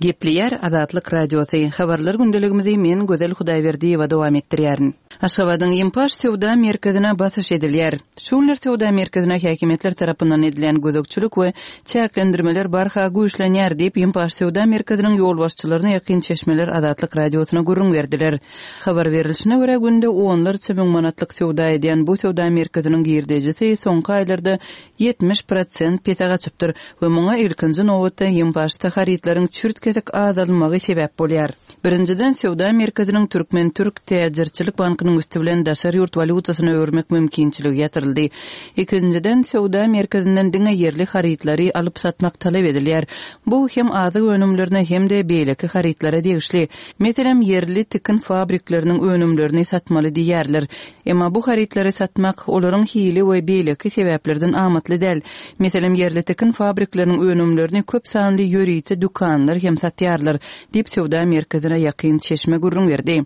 Gepleýär Azatlyk Radiosy, Habarlar gündeligimizi men Gözel Hudaýberdiýewa dowam etdirýärin. Aşgabadyň Ýempaş söwda merkezine basyş edilýär. Şu günler söwda merkezine häkimiýetler tarapyndan edilýän gözegçilik we çäklendirmeler barha güýçlenýär diýip, Ýempaş söwda merkeziniň ýolbaşçylaryna ýakyn çeşmeler Azatlyk Radiosyna gürrüň berdiler. Habar berlişine görä, günde onlarça müň manatlyk söwda edýän bu söwda merkeziniň girdejisi soňky aýlarda 70 prosent pese gaçypdyr we muňa ilkinji nobatda Ýempaşda harytlaryň çürt-kesik azalmagy sebäp bolýar. Birinjiden, söwda merkeziniň Türkmen-türk täjirçilik bankynyň üsti bilen daşary ýurt walýutasyna öwürmek mümkinçiligi ýatyryldy. Ikinjiden, söwda merkezinden diňe ýerli harytlary alyp-satmak talap edilýär. Bu hem azyk önümlerine hem-de beýleki harytlara degişli. Meselem, ýerli tikin fabrikleriniň önümlerini satmaly diýýärler. Emma bu harytlary satmak olaryň hili we beýleki sebäplerden amatly däl. Meselem, ýerli tikin fabrikleriniň önümlerini köp sanly ýörite dükanlar hem satýarlar, diýip, söwda merkezine ýakyn çeşme gürrüň berdi.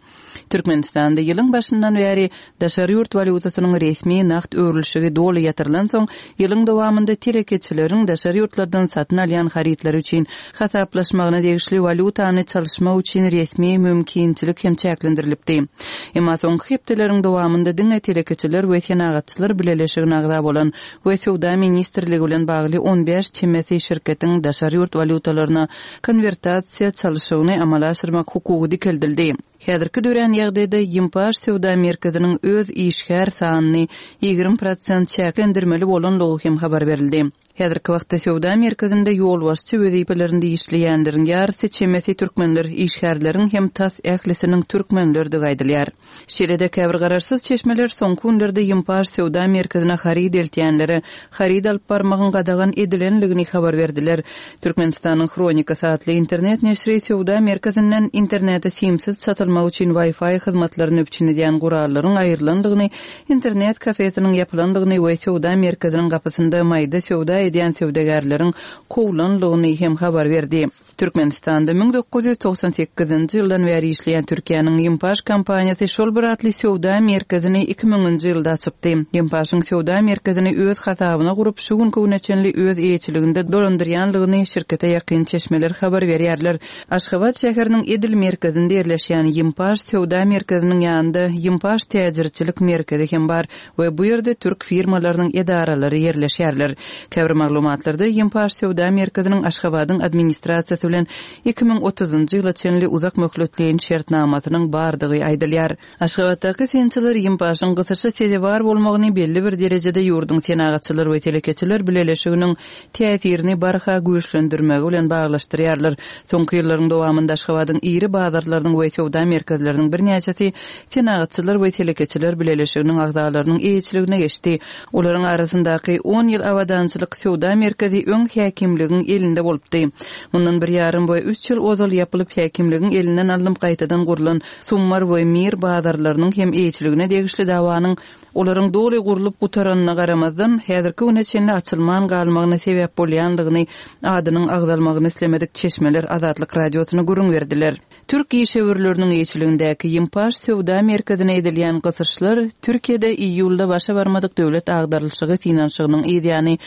Türkmenistanda ýylyň başyndan bäri daşary ýurt walýutasynyň resmi nagt öwrülişigi doly ýatyrylansoň, ýylyň dowamynda telekeçileriň daşary ýurtlardan satyn alýan harytlary üçin hasaplaşmagyna degişli walýutany çalyşmak üçin resmi mümkinçilik hem çäklendirilipdi. Emma soňky hepdeleriň dowamynda diňe Telekeçiler we Senagatçylar bileleşigine agza bolan we Söwda ministrligi bilen bagly 15 çemesi şirketiň daşary ýurt walýutalaryna konwertasiýa çalyşygyny amala aşyrmak hukugy dikeldildi. Häzirki dörän ýagdaýda Ýimpaş söwda merkeziniň öz işgär sanyny 20 prosent çäklendirmeli bolanlygy hem habar berildi. Häzirki wagtda söwda merkezinde ýolbaşçy wezipelerinde işleýänleriň ýarysy çemesi türkmenler, işgärleriň hem tas ählisiniň türkmenlerdigi aýdylýar. Şeýle-de käbir garaşsyz çeşmeler soňky günlerde Ýimpaş söwda merkezine haryt eltýänlere haryt alyp barmagyň gadagan edilenligini habar berdiler. Türkmenistanyň Hronikasy atly internet neşiri söwda merkezinden internete simsiz çatylmak üçin Wi-Fi hyzmatlaryny üpjün edýän gurallaryň aýrylandygyny, internet kafesiniň ýapylandygyny we söwda merkeziniň gapysynda maýda söwda edýän söwdagärleriň kowlanlygyny hem habar berdi. Türkmenistanda 1998-nji ýyldan bäri işleýän Türkiýäniň Ýimpaş kompaniýasy şol bir atly söwda merkezini 2000-nji ýylda açypdy. Ýimpaşyň söwda merkezini öz hasabyna gurup, şu günki güne çenli öz eýeçiliginde dolandyrýanlygyny şirkete ýakyn çeşmeler habar berýärler. Aşgabat şäheriniň edil merkezinde ýerleşýän Ýimpaş söwda merkeziniň ýanynda Ýimpaş täjirçilik merkezi hem bar we bu ýerde türk firmalarynyň edaralary ýerleşýärler. Käbir maglumatlarda Ýimpaş söwda merkeziniň Aşgabadyň administrasiýasy bilen 2030-njy ýyla çenli uzak möhletleýin şertnamasynyň bardygy aýdylýar. Aşgabatdaky synçylar Ýimpaşyň gysyşa sezewar bolmagyny belli bir derejede ýurduň Senagatçylar we telekeçiler bileleşiginiň täsirini barha güýçlendirmegi bilen baglaşdyrýarlar. Soňky ýyllaryň dowamynda Aşgabadyň iri bazarlarynyň we söwda merkezleriniň birnäçesi Senagatçylar we telekeçiler bileleşiginiň agzalarynyň eýeçiligine geçdi. Olaryň arasyndaky On ýyl abadançylyk söwda merkezi öň häkimligiň elinde bolupdy. Mundan bir ýarym we üç ýyl ozal ýapylyp häkimligiň elinden alnyp gaýtadan gurlan Summar we Mir bazarlarynyň hem eýeçiligine degişli dawanyň olaryň doly gurlup gutaranyna garamazdan, häzirki güne çenli açylman galmagyna sebäp bolýandygyny adynyň agzalmagyny islemedik çeşmeler Azatlyk Radiosyna gürrüň berdiler. Türk işewürleriniň eýeçiligindäki Ýimpaş söwda merkezine edilýän gysyşlar Türkiýede iýulda başa barmadyk döwlet agdarylyşygy synanyşygynyň yzýany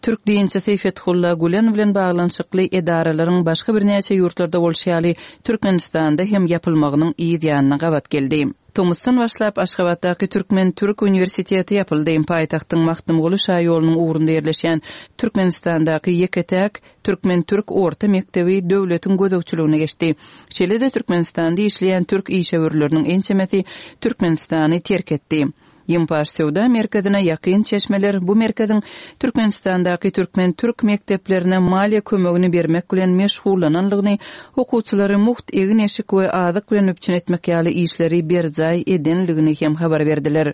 türk dinçisi Fethulla Gülen bilen baglanyşykly edaralaryň başga birnäçe ýurtlarda bolşy ýaly Türkmenistanda hem ýapylmagynyň yz ýanyna gabat geldi. Tomusdan başlap Aşgabatdaky Türkmen-türk uniwersiteti ýapyldy. Paýtagtyň Magtymguly şaýolunyň ugrunda ýerleşýän Türkmenistandaky ýeke-täk türkmen-türk orta mekdebi döwletiň gözegçiligine geçdi. Şeýle-de Türkmenistanda işleýän türk işewürleriniň ençemesi Türkmenistany terk etdi. Ýimpaş söwda merkezine ýakyn çeşmeler bu merkeziň Türkmenistandaky türkmen-türk mekdeplerine maliýe kömegini bermek bilen meşgullananlygyny, okuwçylary mugt egin-eşik we azyk bilen üpjün etmek ýaly işleri berjaý edenligini hem habar berdiler.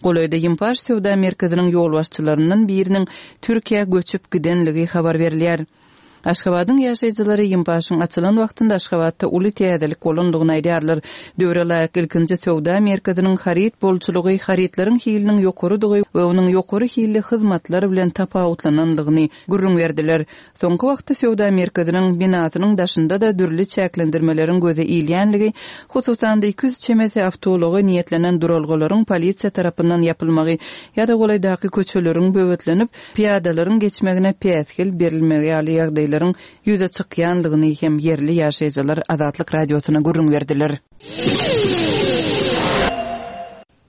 Golaýda Ýimpaş söwda merkeziniň ýolbaşçylaryndan biriniň Türkiýä göçüp gidenligi habar berilýär. Aşgabadyň ýaşaýjylary Ýimpaşyň açylan wagtynda Aşgabatda uly täzelik bolandygyny aýdýarlar. Döwre laýyk ilkinji söwda merkeziniň haryt bolçulygy, harytlaryň hiliniň ýokarydygy we onuň ýokary hilli hyzmatlar bilen tapawutlanandygyny gürrüň berdiler. Soňky wagtda söwda merkeziniň binasynyň daşynda-da dürli çäklendirmeleriň göze ilýänligi, hususan-da 200 çemesi awtoulaga niýetlenen duralgalaryň polisiýa tarapyndan ýapylmagy ýa-da golaýdaky köçeleriň böwetlenip, pyýadalaryň geçmegine päsgel berilmegi ýaly ýagdaýlar. ýagdaýlaryň ýüze çykýanlygyny hem ýerli ýaşaýjylar Azatlyk Radiosyna gürrüň berdiler.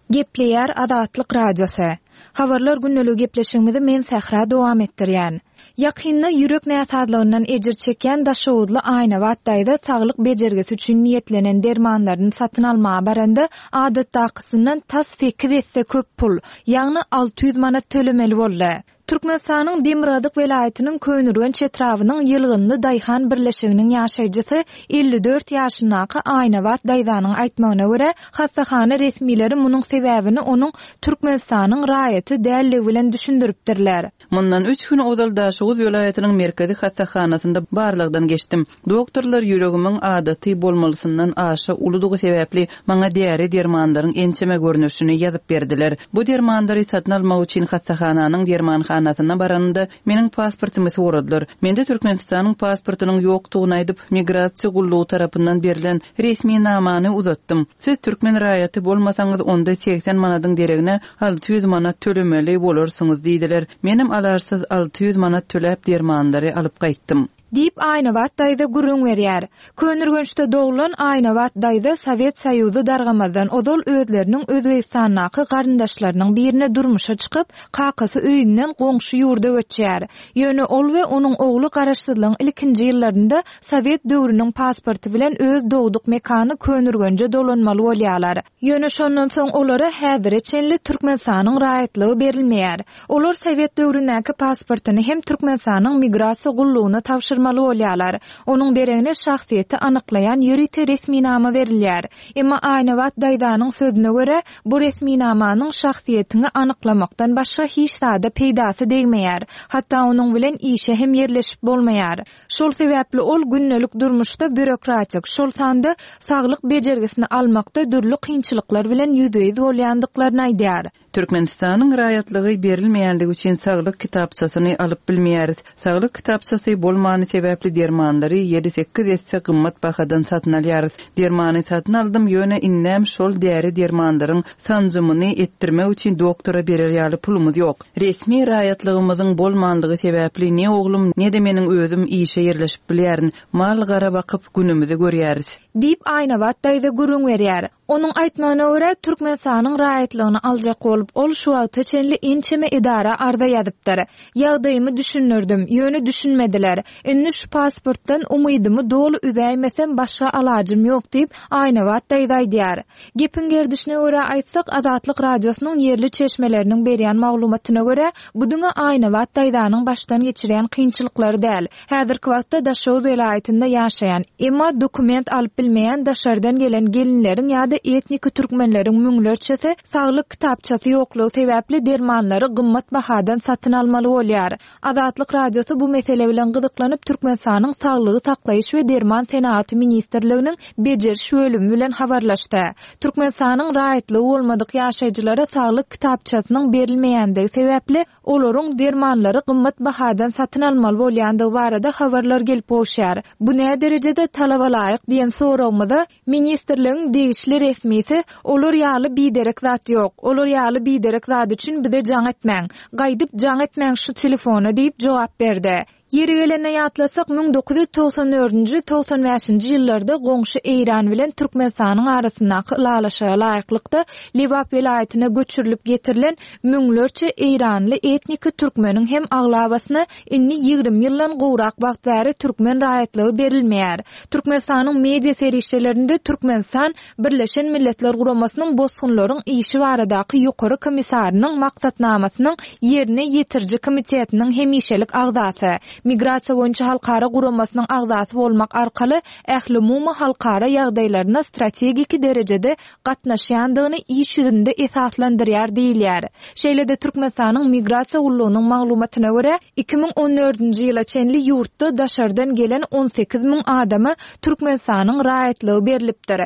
Gepleýär Azatlyk Radiosy. Habarlar gündeligi gepleşigimizi men Sähra dowam etdirýän. Ýakynda ýürek näsazlygyndan ejir çekýän daşoguzly Aýnabat daýza saglyk bejergisi üçin niýetlenen dermanlaryny satyn almaga baranda, adatdakysyndan tas sekiz esse köp pul, ýagny 600 manat tölemeli boldy. Türkmenistanyň demirgazyk welaýatynyň Köneürgenç etrabynyň Ýylgynly daýhan birleşiginiň ýaşaýjysy 54 ýaşyndaky Aýnabat daýzanyň aýtmagyna görä, hassahana resmileri munuň sebäbini onuň Türkmenistanyň raýaty däldigi bilen düşündiripdirler. Mundan üç gün ozal Daşoguz welaýatynyň merkezi hassahanasynda barlagdan geçdim. Doktorlar ýüregimiň adaty bolmalysyndan aşa uludygy sebäpli maňa däri-dermanlaryň ençeme görnüşini ýazyp berdiler. Bu dermanlary satyn almak üçin hassahananyň dermanhanasyna baranymda meniň pasportymy soradylar. Mende Türkmenistanyň pasportynyň ýokdugyny aýdyp, migrasiýa gullugy tarapyndan berlen resminamany uzatdym. Siz türkmen raýaty bolmasaňyz, onda 80 manadyň deregine 600 manat tölemeli bolarsyňyz diýdiler. Menem alaçsyz 600 manat töläp dermanlary alyp gaýtdym. Diýip, Aýnabat daýza gürrüň berýär. Köneürgençde doglan Aýnabat daýza Sowet Soýuzy dargamazdan ozal özleriniň Özbegistandaky garyndaşlarynyň birine durmuşa çykyp, kakasy öýünden goňşy ýurda göçýär. Ýöne ol we onuň ogly garaşsyzlygyň ilkinji ýyllarynda sowet döwrüniň pasporty bilen öz dogduk mekany Köneürgenje dolanmaly bolýarlar. Ýöne şondan soň olara häzire çenli Türkmenistanyň raýatlygy berilmeýär. Olar sowet döwründäki pasportyny hem Türkmenistanyň Migrasiýa gullugyna tabşyrmaly bolýarlar. Onuň deregine şahsyýeti anyklaýan ýörite resminama berilýär. Emma Aýnabat daýzanyň sözüne görä, bu resminamanyň şahsyýetiňi anyklamakdan başga hiç zada peýdasy degmeýär. Hatda onuň bilen işe hem ýerleşip bolmaýar. Şol sebäpli ol gündelik durmuşda býurokratik, şol sanda saglyk bejergisini almakda dürli kynçylyklar bilen ýüzbe-ýüz bolýandyklaryny aýdýar. Türkmenistanyň raýatlygy berilmeýänligi üçin saglyk kitapçasyny alyp bilmeýäris. Saglyk kitapçasy bolmany sebäpli dermanlary ýedi-sekiz esse gymmat bahadan satyn alýarys. Dermany satyn aldym, ýöne indem şol däri-dermanlaryň sanjymyny etdirmek üçin doktora berer ýaly pulumyz ýok. Resmi raýatlygymyzyň bolmanlygy sebäpli ne oglum, ne-de meniň özüm işe ýerleşip bilýärin. Mal-gara bakyp, günümizi görýäris. Diýip, Aýnabat daýza gürrüň berýär. Onuň aýtmagyna görä, Türkmenistanyň raýatlygyny aljak bolup, ol şu wagta çenli ençeme edara arza ýazypdyr. Ýagdaýymy düşündirdim, ýöne düşünmediler. Indi şu pasportdan umydymy doly üzäýmesem başga alajym ýok diýip, Aýnabat daýza aýdýar. Gepiň gerdişine görä aýtsak, Azatlyk Radiosynyň ýerli çeşmeleriniň berýän maglumatyna görä, bu diňe Aýnabat daýzanyň başdan geçirýän kynçylyklary däl. Häzirki wagtda Daşoguz welaýatynda ýaşaýan, emma dokument alyp bilmeýän daşardan gelen gelinleriň ýa-da etniki türkmenleriň müňlerçesi saglyk kitapçasy ýoklugy sebäpli dermanlary gymmat bahadan satyn almaly bolýar. Azatlyk Radiosy bu mesele bilen gyzyklanyp, Türkmenistanyň Saglygy saklaýyş we derman senagaty ministrliginiň bejeriş bölümi bilen habarlaşdy. Türkmenistanyň raýatlygy bolmadyk ýaşaýjylara saglyk kitapçasynyň berilmeýändigi sebäpli, olaryň dermanlary gymmat bahadan satyn almaly bolýandygy barada habarlar gelip gowuşýar. Bu näderejede talabalaýyk diýen soragymyza Ministrligiň degişli resmisi, Olar ýaly biderek zat ýok. Olar ýaly biderek zat üçin bize jaň etmäň. Gaýdyp jaň etmäň şu telefona diýip jogap berdi. Ýeri gelende ýatlasak, 1994-nji, 95-nji ýyllarda goňşy Eýran bilen Türkmenistanyň arasyndaky ylalaşyga laýyklykda Lebap welaýatyna göçürilip getirilen müňlerçe eýranly etniki türkmeniň hem aglabasyna Indi 20 ýyldan gowrak wagt bäri türkmen raýatlygy berilmeýär. Türkmenistanyň media serişdelerinde Türkmenistan Birleşen Milletler Guramasynyň Bosgunlaryň işi baradaky Ýokary komissarynyň Maksatnamasynyň Ýerine ýetiriji komitetiniň hemişelik agzasy, Migrasiýa boýunça halkara guramasynyň agzasy bolmak arkaly ählumumy halkara ýagdaýlaryna strategik derejede gatnaşýandygyny iş ýüzünde esaslandyrýar diýilýär. Şeýle-de Türkmenistanyň Migrasiýa gullugynyň maglumatyna görä, 2014-nji ýyla çenli ýurtda daşardan gelen 18 müň adama Türkmenistanyň raýatlygy berlipdir.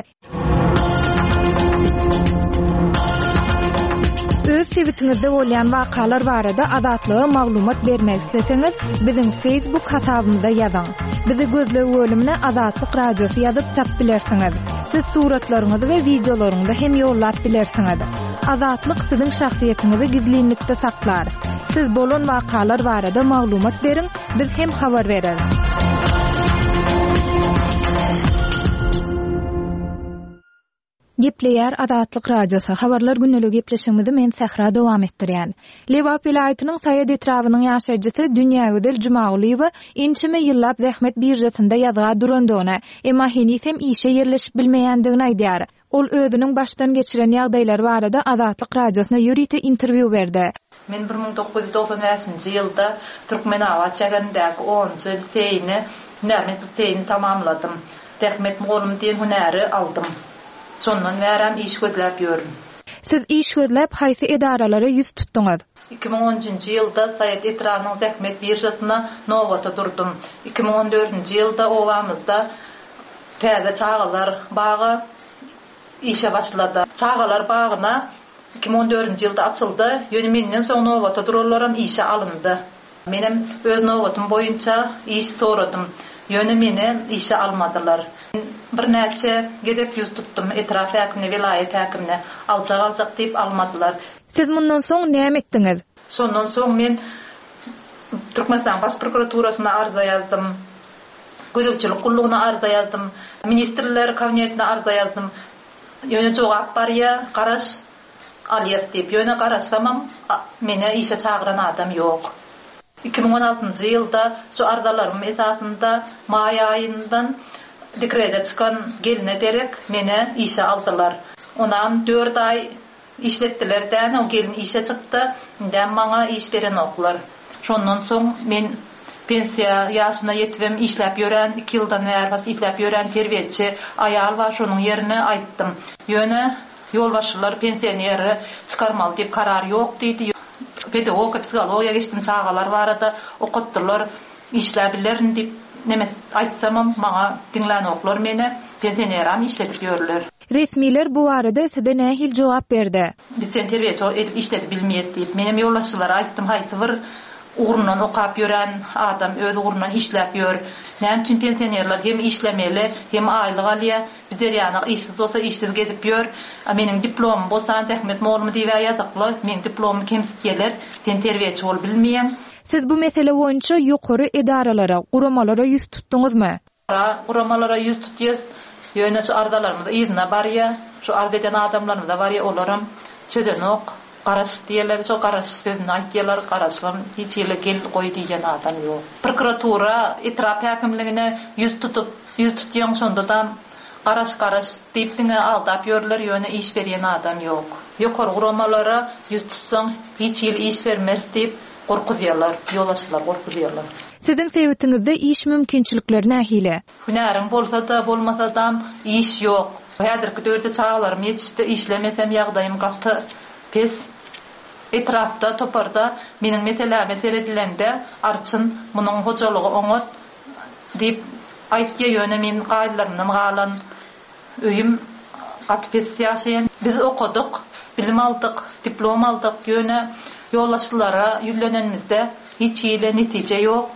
Öz sebitiňizde bolýan wakalar barada Azatlyga maglumat bermek isleseňiz, biziň Facebook hasabymyza ýazyň. Bizi gözleg bölümine Azatlyk Radiosy ýazyp tap bilersiňiz. Siz suratlaryňyzy we wideolaryňyzy hem ýollap bilersiňiz. Azatlyk siziň şahsyýetiňizi gizlinlikde saklar. Siz bolan wakalar barada maglumat beriň, biz hem habar bereris. Gepleýär Azatlyk Radiosy, Habarlar gündeligi gepleşigimizi men Sähra dowam etdirýän. Lebap welaýatynyň Saýat etrabynyň ýaşaýjysy Dünýägözel Jumagulyýewa ençeme ýyllap zähmet biržasynda ýazga durandygyny, emma heniz hem işe ýerleşip bilmeýändigini aýdýar. Ol özüniň başdan geçiren ýagdaýlary barada Azatlyk Radiosyna ýörite interwýu berdi. Men 1995-nji ýylda Türkmenabat şäherindäki onunjy liseýini, hünärment liseýini tamamladym. Zähmet mugallymy diýen hünäri aldym. Şondan bärem iş gözläp ýörün. Siz iş gözläp haýsy edaralara ýüz tutduňyz? 2013-nji ýylda Saýat etrabynyň zähmet biržasyna nobata durdum. 2014-nji ýylda obamyzda täze çagalar bagy işe başlady. Çagalar bagyna 2014-nji ýylda açyldy, ýöne menden soň nobata duranlaram işe alyndy. Menem öz nobatym boýunça iş soradym. Ýöne meni işe almadylar. Men birnäçe gezek ýüz tutdum etrap häkimine, welaýat häkimine. Aljak-aljak diýip almadylar. Siz mundan soň näme etdiňiz? Şondan soň men Türkmenistanyň Baş prokuraturasyna arza ýazdym. Gözegçilik gullugyna arza ýazdym. Ministrler Kabinetine arza ýazdym. Ýöne jogap barýa, garaş, alýas diýip. Ýöne garaşsamam, meni işe çagyran adam ýok. 2016-njy ýylda şu arzalarym esasynda maý aýyndan dekrede çykan gelne derek meni işe aldylar. Onam dört aý Işletdiler däne o gelin işe çykdy, indem maňa iş berenoklar. Şondan soň men pensiýa ýaşyna ýetibem işläp ýören, iki ýyldan bäri bas işläp ýören terbiýeçi aýal bar, şonuň ýerine aýtdym. Ýöne ýolbaşçylar pensioneri çykarmaly diýip karar ýok diýdi. Pedagogika, psihologiýa geçdim, çagalar barada okatdylar. Işläbilerin diýip neme aýtsamam maňa diňlänoklar meni, pensioneram işledip ýörler. Resmiler bu barada size nähili jogap berdi? Biz seni terbiýeçi edip işledip bilmeýäs diýip. Menem ýolbaşçylara aýtdym, haýsy bir ugrundan okap ýören adam öz ugrundan işläp ýör. Näme üçin pensionerler hem işlemeli, hem aýlyk alýa. Bizler ýaly işsiz bolsa işsiz gezip ýör. A meniň diplomym bolsa zähmet mugallymy diýibä ýazykly. Meň diplomymy kemsitýäler. Sen terbiýeçi bolup bilmeýäň. Siz bu mesele boýunça ýokary edaralara, guramalara ýüz tutduňyzmy? Guramalara ýüz tutýas, ýöne şu arzalarymyz yzyna barýa, şu arz eden adamlarymyza barýa, olaram çözenok, garaş diýýärler, şo garaş sözüni aýtýarlar, garaşybam hiç hili gel goý diýen adam ýok. Prokuratura, etrap häkimligine ýüz tutup, ýüz tutýaň şondadam garaş garaş diýip diňe aldap ýörler, ýöne iş berýän adam ýok. Ýokary guramalara ýüz tutsaň hiç hili iş bermeris diýip gorkuzýarlar, ýolbaşçylar gorkuzýarlar. Siziň sebitiňizde iş mümkinçilikleri nähili? Hünäriň bolsa-da, bolmasadam iş ýok. Häzirki döwürde çagalarym ýetişdi, işlemesem ýagdaýym gaty pes. Etrapda, toparda meniň meseläme seredilende Arçyn munuň hojalygy oňat diýip aýtýa, ýöne men gaýylarymdan galan Öýüm gaty pes ýaşaýan. Biz okadyk, bilim aldyk, diplom aldyk, ýöne ýolbaşçylara ýüzlenenimizde hiç hili netije ýok.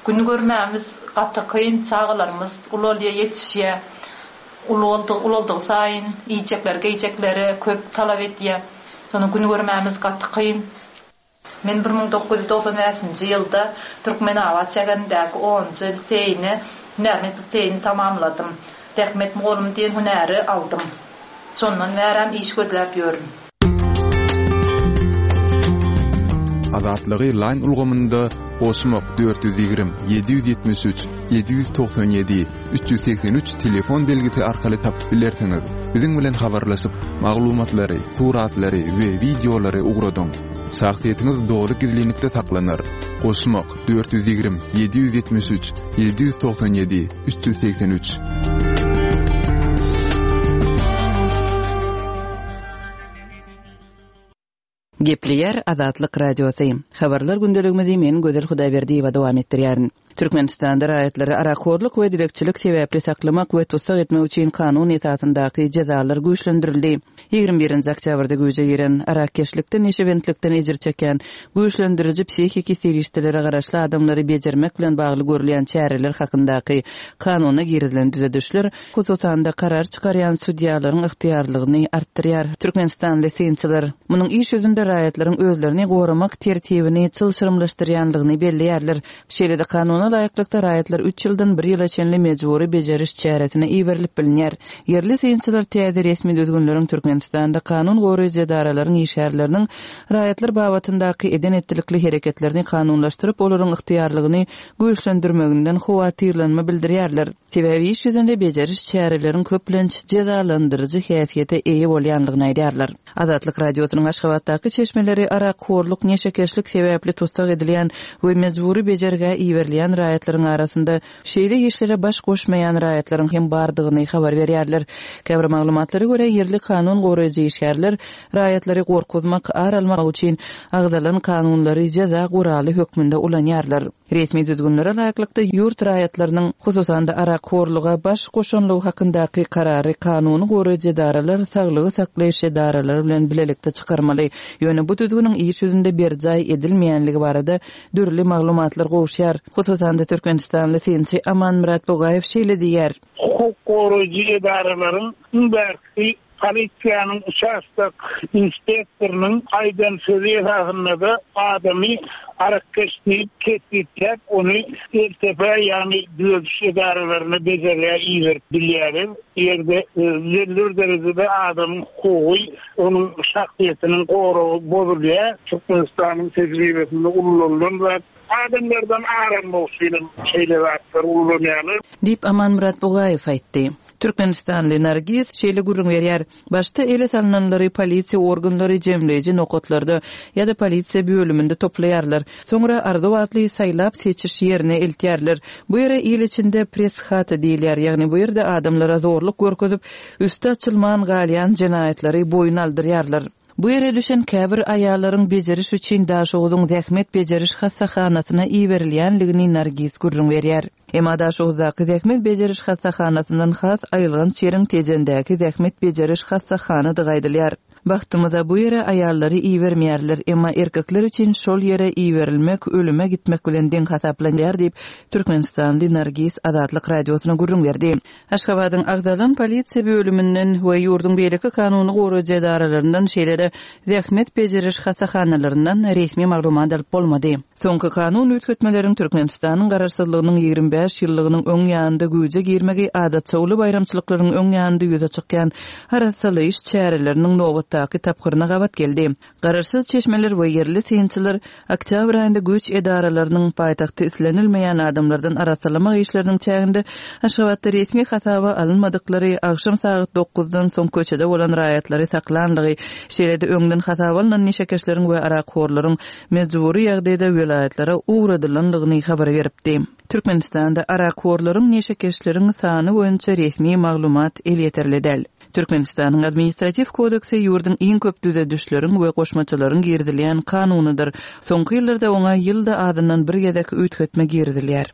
Gün görmämiz gaty kyn, çagalarymyz ulalýar, ýetişýär. Uly boldy, ulaldygy saýyn iýjekleri, geýjekleri köp talap edýär. Şonda gün görmämiz gaty kyn. Men 1995-nji ýylda Türkmenabat şäherindäki onunjy liseýini, hünärment liseýini tamamladym. Zähmet mugallymy diýen hünäri aldym. Şondan bärem iş gözläp ýörün. Azatlygy Line ulgamynda goşmak 420 773 797 383 telefon belgisi arkaly tapyp bilersiňiz. Biziň bilen habarlaşyp, maglumatlary, suratlary we wideolary ugradyň. Şahsyýetiňiz doly gizlinlikde saklanar. Goşmak, 420 773 797 383. Gepleýär Azatlyk Radiosy. Habarlar gündeligimizi men Gözel Hudaýberdiýewa dowam etdirýärin. Türkmenistanda raýatlary arakhorluk we dilegçilik sebäpli saklamak we tussag etmek üçin kanun esasyndaky jezalar güýçlendirildi. 21-nji oktýabrda güýje giren, arakkeşlikden, neşebentlikden ejir çekýän, güýçlendiriji psihiki serişdelere garaşly adamlary bejermek bilen bagly görülýän çäreler hakyndaky kanuna girizilen düzedişler, hususan-da, karar çykarýan sudýalaryň ygtyýarlygyny artdyrýar. Türkmenistanly synçylar munuň iş ýüzünde raýatlaryň özlerini goramak tertibini çylşyrymlaşdyrýanlygyny belleýärler. Şeýle-de, kanuna laýyklykda, raýatlar üç ýyldan bir ýyla çenli mejbury bejeriş çäresine iberilip bilinýär. Ýerli synçylar täze resmi düzgünleriň Türkmenistanda kanun goraýjy edaralaryň işgärleriniň raýatlar babatyndaky eden-etdilikli hereketlerini kanunlaşdyryp, olaryň ygtyýarlygyny güýçlendirmeginden howatyrlanma bildirýärler. Sebäbi iş ýüzünde bejeriş çäreleriň köplenç jezalandyryjy häsiýete eýe bolýanlygyny aýdýarlar. Azatlyk Radiosynyň Aşgabatdaky çeşmeleri arakhorluk, neşekeşlik sebäpli tussag edilýän we mejbury bejergä iberilýän raýatlaryň arasynda şeýle işlere baş goşmaýan raýatlaryň hem bardygyny habar berýärler. Käbir maglumatlara görä, ýerli kanun goraýjy işgärler raýatlary gorkuzmak, ar almak üçin agzalan kanunlary jeza guraly hökmünde ulanýarlar. Resmi düzgünlere laýyklykda, ýurt raýatlarynyň, hususan-da, arakhorluga baş goşanlygy hakyndaky karary kanuny goraýjy edaralar saglygy saklaýyş edaralary bilen bilelikde çykarmaly. Ýöne bu düzgüniň iş ýüzünde berjaý edilmeýänligi barada dürli maglumatlar gowuşýar. Hususan-da, türkmenistanly synçy Amanmyrat Bugaýew şeýle diýýär. Hukuk goraýjy edaralaryň iň bärkisi Polisiýanyň uçastok inspektorynyň aýdan sözi esasynda-da adamy arakkeş diýip kesgitläp, ony LTP, ýagny düzediş edaralaryna bejergä iberip bilýärler. Bu ýerde belli bir derejede adamyň hukugy, onuň şahsyýetiniň goragy bozulýar. Türkmenistanyň tejribesinde ullanylan zat. Adamlardan ar almak üçinem şeýle zatlary ullanýarlar. Diýip, Amanmyrat Bugaýew aýtdy. Türkmenistanly Nargiz şeýle gürrüň berýär, Başda ele salnanlary polisiýa organlary jemleýji nokatlarda ýa-da polisiýa bölüminde toplaýarlar. Soňra Arzuw atly saýlap-seçiş ýerine eltýärler. Bu ýere il içinde press-hata diýilýär, ýagny bu ýerde adamlara zorluk görkezip, üsti açylman galýan jenaýatlary boýun aldyrýarlar. Bu ýere düşen käbir aýallaryň bejeriş üçin Daşoguzyň zähmet bejeriş hassahanasyna iberilýänligini Nargiz gürrüň berýär. Emma Daşoguzdaky zähmet bejeriş hassahanasyndan has aýylganç ýeriň Tejendäki zähmet bejeriş hassahanadygy aýdylýar. Bagtymyza bu ýere aýallary ibermeýärler, emma erkekler üçin şol ýere iberilmek ölüme gitmek bilen deň hasaplanýar diýip, türkmenistanly Nargiz Azatlyk Radiosyna gürrüň berdi. Aşgabadyň agzalan polisiýa bölüminden we ýurduň beýleki kanuny goraýjy edaralaryndan, şeýle-de zähmet bejeriş hassahanalaryndan resmi maglumat alyp bolmady. Soňky kanun üýtgetmeleriň Türkmenistanyň Garaşsyzlygynyň 25 ýyllygynyň öň ýanynda güýje girmegi adatça uly baýramçylyklaryň öň ýanynda ýüze çykýan arassalaýyş çäreleriniň nobatdaky tapgyryna gabat geldi. Garaşsyz çeşmeler we ýerli synçylar oktýabr aýynda güýç edaralarynyň paýtagty islenilmeýän adamlardan arassalamak işleriniň çäginde Aşgabatda resmi hasaba alynmadyklary, agşam sagat dokuzdan soň köçede bolan raýatlary saklanlygy, şeýle-de öňden hasaba alnan neşekeşleriň we arakhorlaryň mejbury ýagdaýda welaýatlara ugradylanlygyny habar beripdi. Türkmenistanda arakhorlaryň, neşekeşleriň sany boýunça resmi maglumat elýeterli däl. Türkmenistanyň Administratiw kodeksi ýurduň iň köp düzedişleriň we goşmaçalaryň girizilýän kanunydyr. Soňky ýyllarda oňa ýylda azyndan bir gezek üýtgetme girizilýär.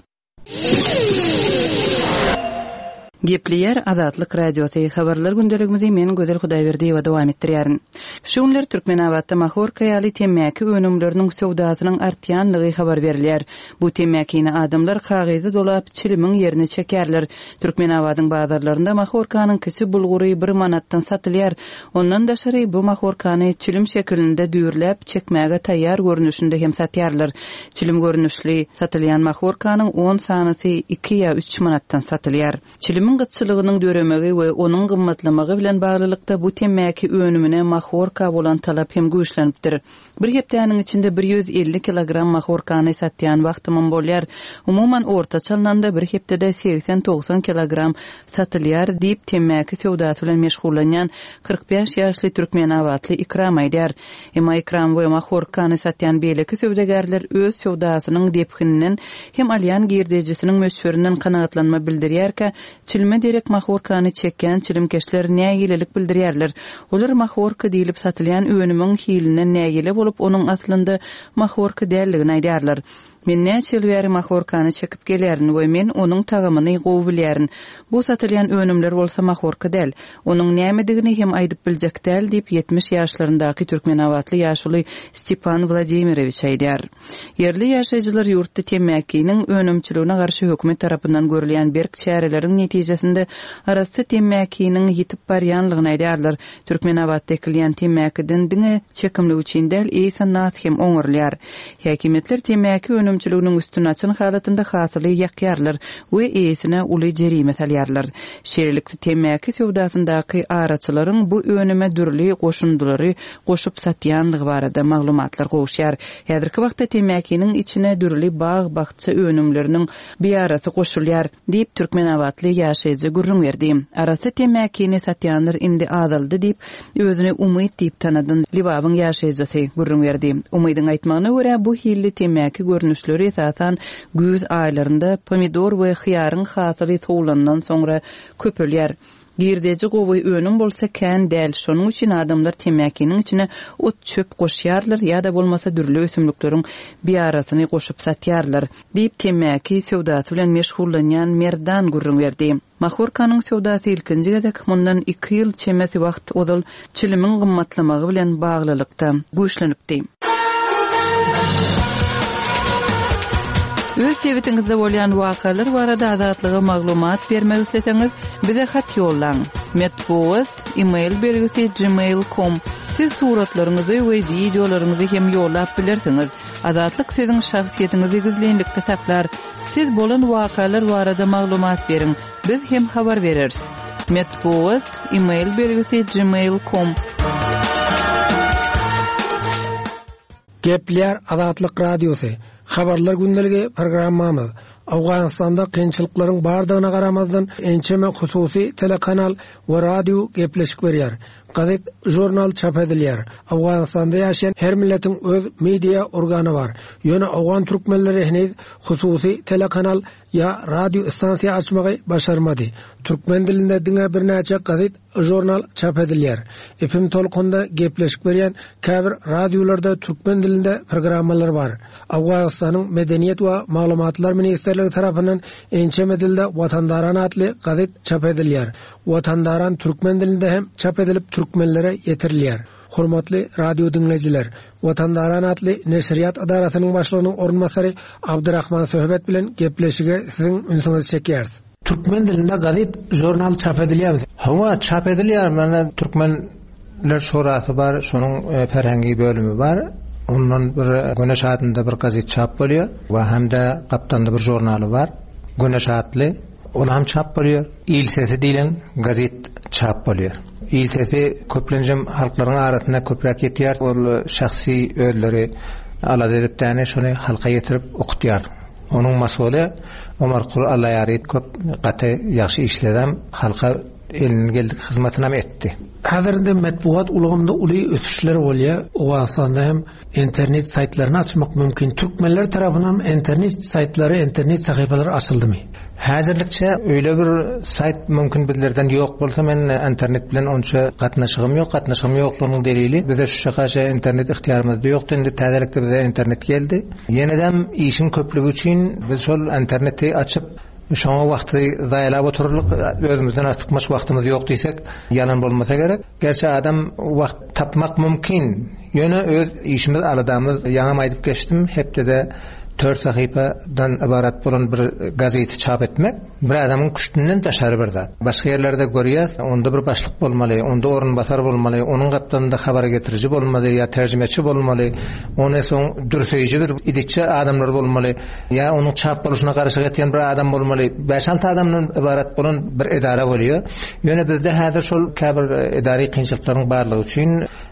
Gepleýär Azatlyk Radiosy, Habarlar gündeligimizi men Gözel Hudaýberdiýewa dowam etdirýärin. Şu günler Türkmenabatda mahorka ýaly temmäki önümleriniň söwdasynyň artýanlygy habar berilýär. Bu temmäkini adamlar kagyza dolap, çilimiň ýerine çekýärler. Türkmenabadyň bazarlarynda mahorkanyň kiçi bulgury bir manatdan satylýar. Ondan daşary, bu mahorkany çilim şekilinde düýrläp, çekmäge taýýar görnüşinde hem satýarlar. Çilim görnüşli satylýan mahorkanyň on sanysy iki ýa üç manatdan satylýar. Çilimiň gytçylygynyň döremegi we onuň gymmatlamagy bilen baglylykda bu temmäki önümine mahorka bolan talap hem güýçlenipdir. Bir hepdäniň içinde 150 kilogram mahorkany satýan wagtymam bolýar. Umuman, ortaça alnanda bir hepdede segsen-togsan kilogram satylýar, diýip, temmäki söwdasy bilen meşgullanýan 45 ýaşly türkmenabatly Ikram aýdýar. Emma Ikram we mahorkany satýan beýleki söwdagärler öz söwdasynyň depgininden hem alýan girdejisiniň möçberinden kanagatlanma bildirýärkä, Çilime derek mahorkany çekýän çilimkeşler nägilelik bildirýärler. Olar mahorka diýlip satylýan önümiň hilinden nägile bolup, onuň aslynda mahorka däldigini aýdýarlar. Men näçe ýyl bäri mahorkany çekip gelýärin we men onuň tagamyny gowy bilýärin. Bu satylýan önümler bolsa mahorka däl. Onuň nämedigini hem aýdyp biljek däl diýip, 70 ýaşlaryndaky türkmenabatly ýaşuly Stepan Wladimirowiç aýdýar. Ýerli ýaşaýjylar ýurtda temmäkiniň önümçiligine garşy hökümet tarapyndan görülýän berk çäreleriň netijesinde arassa temmäkiniň ýitip barýanlygyny aýdýarlar. Türkmenabatda ekilýän temmäkiden diňe çekimlik üçin däl, eýse nas hem oňarylýar. Häkimiýetler temmäki önümçiliginiň üstüni açan halatynda hasyly ýakýarlar we eýesine uly jerime salýarlar. Şeýlelikde, temmäki söwdasyndaky araçylaryň bu önüme dürli goşundylary goşup satýanlygy barada maglumatlar gowuşýar. Häzirki wagtda temmäkiniň içine dürli bag-bakja önümleriniň biýarasy goşulýar. Diýip, türkmenabatly ýaşaýjy gürrüň berdi. Arassa temmäkini satýanlar indi azaldy diýip, özüni Umyt diýip tanadan Lebabyň ýaşaýjysy gürrüň berdi. Umydyň aýtmagyna görä, bu hilli temmäki görnüşleri esasan güýz aýlarynda pomidor we hyýaryň hasyly sowlandan soňra köpelýär. Girdeji gowy, önüm bolsa kän däl, şonuň üçin adamlar temmäkiniň içine ot-çöp goşýarlar ýa-da bolmasa dürli ösümlikleriň biýarasyny goşup satýarlar, diýip, temmäki söwdasy bilen meşgullanýan Merdan gürrüň berdi. Mahorkanyň söwdasy ilkinji gezek mundan iki ýyl çemesi wagt ozal çilimiň gymmatlamagy bilen baglylykda güýçlenipdi. Öz sebitiňizde bolýan wakalar barada Azatlyga maglumat bermek isleseňiz, bize hat ýollaň. Metbugat, e-mail belgisi gmail com. Siz suratlaryňyzy we wideolaryňyzy hem ýollap bilersiňiz. Azatlyk siziň şahsyýetiňizi gizlinlikde saklar. Siz bolan wakalar barada maglumat beriň. Biz hem habar bereris. Metbugat, e-mail belgisi gmail com. Gepleýär Azatlyk Radiosy, Habarlar gündeligi programmamyz. Owganystanda kynçylyklaryň bardygyna garamazdan ençeme hususy telekanal we radio gepleşik berýär. Gazet, žurnal çap edilýär. Owganystanda ýaşaýan her milletiň öz media organy bar. Ýöne owgan türkmenleri heniz hususy telekanal ýa radio stansiýa açmagy başarmady. Türkmen dilinde diňe birnäçe gazet, žurnal çap edilýär. FM tolkunda gepleşik berýän käbir radiolarda türkmen dilinde programmalar bar. Owganystanyň Medeniýet we maglumatlar ministrligi tarapyndan ençeme dilde Watandaran atly gazet çap edilýär. Watandaran türkmen dilinde hem çap edilip türkmenlere ýetirilýär. Hormatly radio diňleýjiler! Watandaran atly neşirýat edarasynyň başlygynyň orunbasary Abdyrahman Söhbet bilen gepleşige siziň ünsüňizi çekýäris. Türkmen dilinde gazet, žurnal çap edilýärmi? Hawa, çap edilýär. Mana Türkmenler şurasy bar, şonuň ferhengi bölümi bar. Ondan bir Güneş adynda bir gazet çap bolýar we hem-de gapdalynda bir žurnaly bar. Güneş atly. Ol hem çap bolýar. Il sesi diýlen gazet çap bolýar. Il sesi köplenjem halklaryň arasynda köpräk ýetýär. Ol şahsy özleri alada edip däne şony halka ýetirip okutýar. Onuň masuly Omarkuly Allaýary köp gaty ýagşy işledem, halka elinden geldik hyzmatynam etdi. Häzir indi metbugat ulgamynda uly ösüşler bolýar. Owganystanda hem internet saýtlaryny açmak mümkin. Türkmenler tarapyndan internet saýtlary, internet sahypalary açyldymy? Häzirlikçe öýle bir saýt mümkin bizlerden ýok bolsa men internet bilen onça gatnaşygym ýok. Gatnaşygym ýoklugynyň delili bize şu çaka internet ygtyýarymyzda ýokdy. Indi täzelikde bize internet geldi. Ýenedem işiň köplügi üçin biz şol interneti açyp şoňa wagty zaýalap oturarlyk özümizden artykmaç wagtymyz ýok diýsek ýalan bolmasa gerek. Gerçi adam wagt tapmak mümkin. Ýöne öz işimiz, aladamyz, ýaňam aýdyp geçdim, hepdede tört sahypadan ybarat bolan bir gazeti çap etmek bir adamyň küştünden daşary bir zat. Başga ýerlerde görýäs, onda bir başlyk bolmaly, onda orunbasar bolmaly, onuň gapdalynda habar getiriji bolmaly ýa terjimeçi bolmaly, ony soň dürseýji bir idetçi adamlar bolmaly. Ýa onuň çap boluşyna garyşyk etýän bir adam bolmaly. Bäş-alty adamdan ybarat bolan bir edara bolýar. Ýöne bizde häzir şol käbir edary kynçylyklaryň barlygy üçin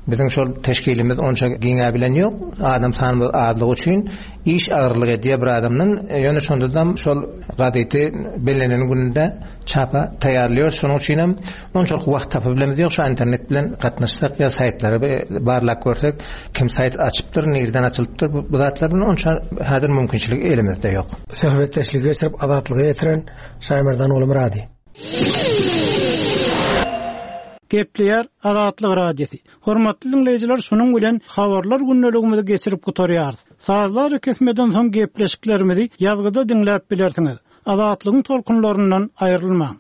biziň şol teşkilimiz onça giňäbilen ýok. Adam sanymyz azlygy üçin iş agyrlyk edýär bir adamdan. Ýöne şondadam şol gazeti bellenen gününde çapa taýýarlaýarys. Şonuň üçinem Onçalyk wagt tapyp bilemizok, şu internet bilen gatnaşsak ýa saýtlary barlap görsek, kim saýt açypdyr, nirden açylypdyr, bu zatlar bilen onça häzir mümkinçilik elimizde ýok. Söhbetdeşligi geçirip Azatlyga ýetiren Şaýmerdan Ogulmyrady. Gepleýär Azatlyk Radiosy. Hormatly diňleýjiler şunuň bilen habarlar gündeligimizi geçirip gutarýarys. Sazly arakesmeden soň gepleşiklerimizi ýazgyda diňläp bilersiňiz. Azatlygyň tolkunlaryndan aýrylmaň.